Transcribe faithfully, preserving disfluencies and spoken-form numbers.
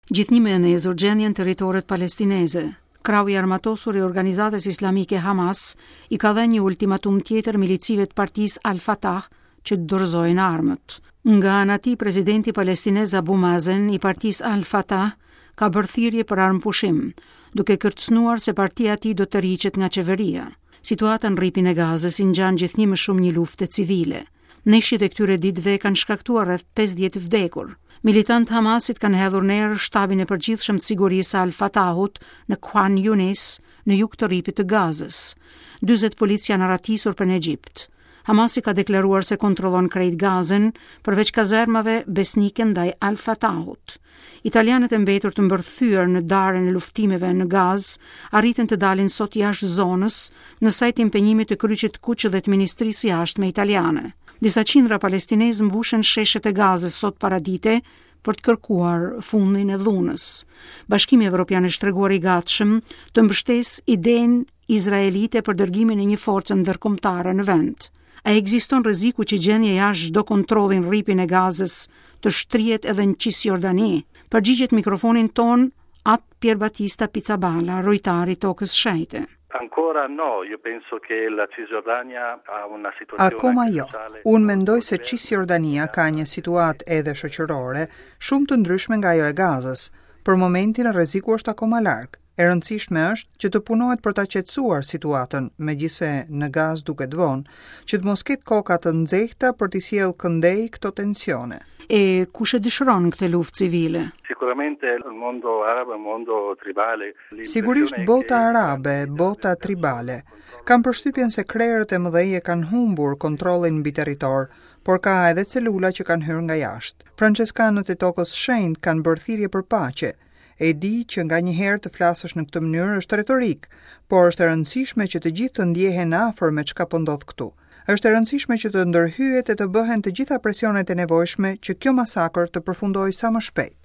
Gjithnjë më e ndezur gjendja në territoret palestineze. Krahu i armatosur i organizatës islamike Hamas i ka dhënë një ultimatum tjetër milicive të partisë Al-Fatah që të dorëzojnë armët. Nga ana e tij, presidenti palestinez Abu Mazen i partisë Al-Fatah ka bërë thirrje për armëpushim, duke kërcënuar se partia e tij do të tërhiqet nga qeveria. Situata në rripin e Gazës i ngjan gjithnjë më shumë një lufte civile. Ndeshjet e këtyre ditëve kanë shkaktuar rreth pesëdhjetë vdekur. Militantë të Hamasit kanë hedhur në erë shtabin e përgjithshëm të sigurisë së Al-Fatahut në Khan Yunis, në jug të rripit të Gazës. dyzet policë janë arratisur për në Egjipt. Hamasi ka deklaruar se kontrollon krejt Gazën, përveç kazermave besnike ndaj Al-Fatahut. Italianët e mbetur të mbërthyer në darën e luftimeve në Gazë arritën të dalin sot jashtë zonës në sajt të impenjimit të Kryqit të Kuq dhe të Ministrisë së Jashtme italiane. Disa qindra palestinezë mbushën sheshet e Gazës sot paradite për të kërkuar fundin e dhunës. Bashkimi Evropian është treguar i gatshëm të mbështesë idenë izraelite për dërgimin e një force ndërkombëtare në vend. A ekziston rreziku që gjendja jashtë çdo kontrolli në rripin e Gazës të shtrihet edhe në Cisjordani? Përgjigjet mikrofonin ton At Pierbattista Pizzaballa, rojtar i tokës shenjte. Ancora no, io penso che la Cisgiordania ha una situazione Akoma jo. sociale Unë mendoj se Cisjordania ka një situatë edhe shoqërore shumë të ndryshme nga ajo e Gazës. Për momentin rreziku është akoma larg. E rëndësishme është që të punohet për ta qetësuar situatën, megjithse në Gazë duket vonë, që të mos ketë koka të nxehta për t'i sjellë këndej këto tensione. E kush e dëshiron këtë luftë civile? Sicuramente il mondo arabo, il mondo tribale. Sigurisht bota arabe, bota tribale. Kam përshtypjen se krerët e mëdhenj e kanë humbur kontrollin mbi territor, por ka edhe celula që kanë hyrë nga jashtë. Franceskanët e tokës shenjtë kanë bërë thirrje për paqe. E di që nga një herë të flasësh në këtë mënyrë është retorik, por është e rëndësishme që të gjithë të ndjehen afër me çka po ndodh këtu. Është e rëndësishme që të ndërhyhet e të bëhen të gjitha presionet e nevojshme që kjo masakër të përfundojë sa më shpejt.